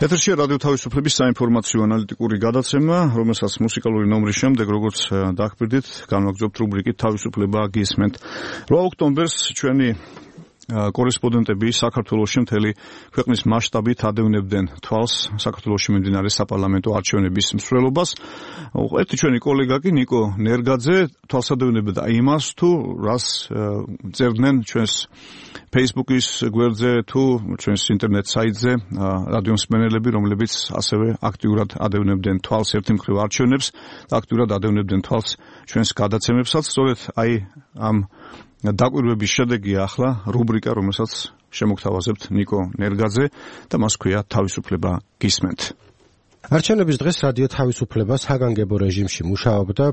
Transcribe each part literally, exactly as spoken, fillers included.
ეთერშია რადიო თავისუფლების საინფორმაციო ანალიტიკური გადაცემა, რომელსაც მუსიკალური ნომრის შემდეგ, როგორც დაგხვდით, განვაგრძობთ რუბრიკით თავისუფლება გისმენთ. რვა ოქტომბერს ჩვენი კორესპონდენტები საქართველოში მთელი ქვეყნის მასშტაბით ადევნებდნენ თვალს საქართველოში მიმდინარე საპარლამენტო არჩევნების მსვლელობას. ერთი ჩვენი კოლეგა კი ნიკო ნერგაძე თვალს ადევნებდა იმას, თუ რას წერდნენ ჩვენს Facebook-ის გვერდზე თუ ჩვენს ინტერნეტ საიტზე რადიო მსმენელები, რომლებიც ასევე აქტიურად ადევნებდნენ თვალს ერთი მხრივ არჩევნებს და აქტიურად ადევნებდნენ თვალს ჩვენს გადაცემებსაც. სწორედ აი ამ დაკვირვების შედეგია ახლა რუბრიკა, რომელსაც შემოგთავაზებთ ნიკო ნერგაძე და მას ქვია თავისუფლება გისმენთ. არჩევნების დღეს რადიო თავისუფლება საგანგებო რეჟიმში მუშაობდა,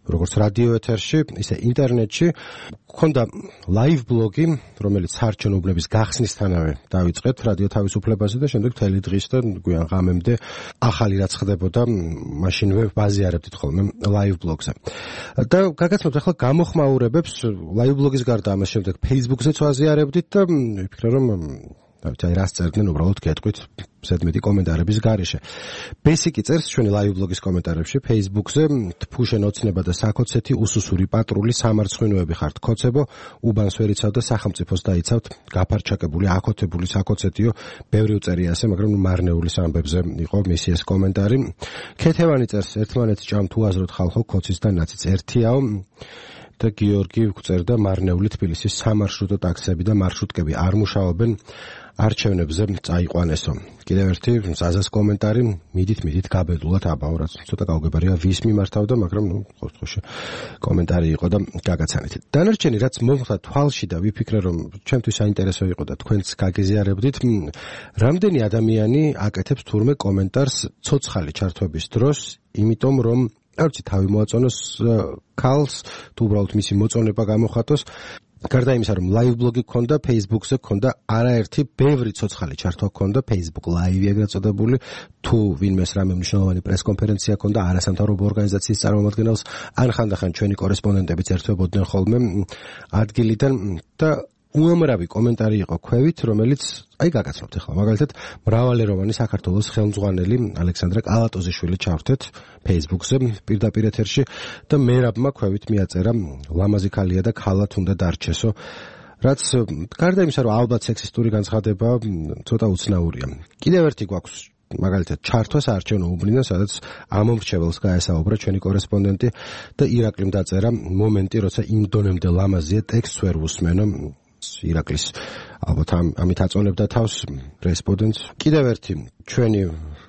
როგორც რადიო ეთერში, ისე ინტერნეტში. ქონდა ლაივ ბლოგი, რომელიც საარჩევნო უბნების გახსნისთანავე დავიწყეთ რადიო თავისუფლებაზე და შემდეგ მთელი დღის და გვიან ღამემდე ახალი რაც ხდებოდა, მაშინვე ბაზიარებდით ხოლმე ლაივ ბლოგზე. და გაგაცნობთ ახლა გამოხმაურებებს ლაივ ბლოგის გარდა ამას შემდეგ Facebook-ზეც ვაზიარებდით და ვიფიქრე რომ აი რას წერდნენ, უბრალოდ გეტყვით ზედმეტი კომენტარების გარეშე. ბესიკი წერს ჩვენი ლაივ ბლოგის კომენტარებში Facebook-ზე, თფუშენ ოცნება და საქოცეთი, უსუსური პატრული, სამარცხვინოები ხართ ქოცებო, უბანს ვერ იცავ და სახელმწიფოს დაიცავთ, გაფარჩაკებული, აკოთებული საქოცეთიო, ბევრი უწერია ასე, მაგრამ მარნეულის ამბებზე იყო მისი ეს კომენტარი. ქეთევანი წერს, ერთმანეთს ჭამთ უაზროდ ხალხო, ქოცის და ნაციც ერთიაო. და გიორგი წერდა, მარნეული თბილისის სამარშრუტო ტაქსები და მარშრუტკები არ მუშაობენ, არჩევნებზე წაიყვანესო. კიდევ ერთი ზაზას კომენტარი, მიდით მიდით გაბედულად აბაო, რაც ცოტა გაუგებარია ვის მიმართავდა, მაგრამ ნუ ყოველთვის კომენტარი იყო და გაგაცანეთ. დანარჩენი რაც მომხდა თვალში და ვიფიქრე რომ ჩემთვის საინტერესო იყო და თქვენც გაგეზიარებდით, რამდენი ადამიანი აკეთებს თურმე კომენტარს ცოცხალი ჩართვების დროს, იმიტომ რომ არც თავი მოაწონოს ქალს, თუ უბრალოდ მისი მოწონება გამოხატოს. გარდა იმისა, რომ ლაივ ბლოგი გქონდა, Facebook-ზე გქონდა არაერთი ბევრი ცოცხალი ჩართვა გქონდა, Facebook ლაივი ეგრეთ წოდებული, თუ ვინმეს რამე მნიშვნელოვანი პრესკონფერენცია გქონდა არასამთავრობო ორგანიზაციის წარმომადგენელს, ან ხანდახან ჩვენი კორესპონდენტებიც ერთვებოდნენ ხოლმე ადგილიდან და უამრავი კომენტარი იყო ქვევით, რომელიც აი გაგაცნობთ ახლა. მაგალითად, მრავალეროვანი საქართველოს ხელმძღვანელი ალექსანდრე კალატოზიშვილი ჩავრთეთ Facebook-ზე პირდაპირ ეთერში და მერაბმა ქვევით მიაწერა, ლამაზი ქალია და ქალად უნდა დარჩესო. რაც გარდა იმისა, რომ ალბათ სექსისტური განცხადება ცოტა უცნაურია. კიდევ ერთი გვაქვს მაგალითად ჩართვა საარჩევნო უბნიდან, სადაც ამომრჩეველს გაესაუბრა ჩვენი კორესპონდენტი და ირაკლიმ დაწერა მომენტი, როცა იმ დონემდე ლამაზია, ტექსტს ვერ უსმენო. ირაკლის ალბათ ამით აწონებდა თავს რესპონდენტს. კიდევ ერთი ჩვენი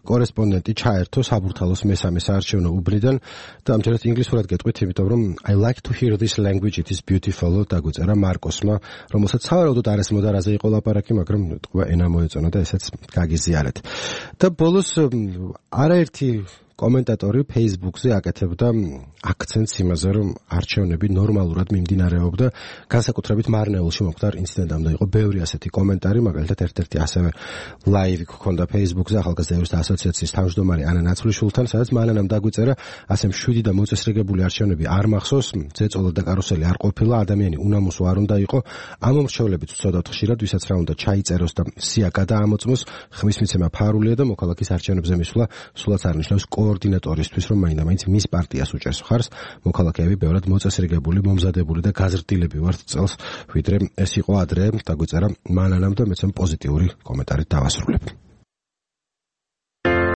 კორესპონდენტი ჩაერთო საბურთალოს მესამე საარჩევნო უბნიდან და ამჯერად ინგლისურად გეტყვით, იმიტომ რომ I like to hear this language, it is beautiful დაგვიწერა მარკოსმა, რომელსაც სავარაუდოდ არასმოდარაზე იყო ლაპარაკი, მაგრამ თქვა ენა მოეწონა და ესეც გაგიზიარეთ. და ბოლოს არაერთი კომენტატორი Facebook-ზე აკეთებდა აქცენტს იმაზე, რომ არჩევნები ნორმალურად მიმდინარეობდა, განსაკუთრებით მარნეულში მომხდარ ინციდენტამდე იყო ბევრი ასეთი კომენტარი, მაგალითად ერთ-ერთი ასევე ლაივი გქონდა Facebook-ზე ახალგაზრდათა ასოციაციის თავმჯდომარე ანა ნაცვლიშვილთან, სადაც მანანამ დაგვიწერა, ასე მშვიდი და მოწესრიგებული არჩევნები არ მახსოვს, ძეწოლა და კარუსელი არ ყოფილა, ადამიანი უნამუსო არ უნდა იყო, ამომრჩევლებიც ვცოდავთ ხშირად, ვისაც რა უნდა ჩაიწეროს და სია გადაამოწმოს, ხმის მიცემა ფარულია და მოქალაქის არჩევნებზე მისვლა სულაც არნიშნავს კოორდინატორისთვის, რომ მაინდა-მაინც მის პარტიას უჭერს ხარს, მოქალაქეები ბევრად მოწესრიგებული, მომზადებული და გაზრდილები ვართ წელს, ვიდრე ეს იყო ადრე, დაგვიწერა მანანამ და მეცემ პოზიტიური კომენტარით დავასრულებ.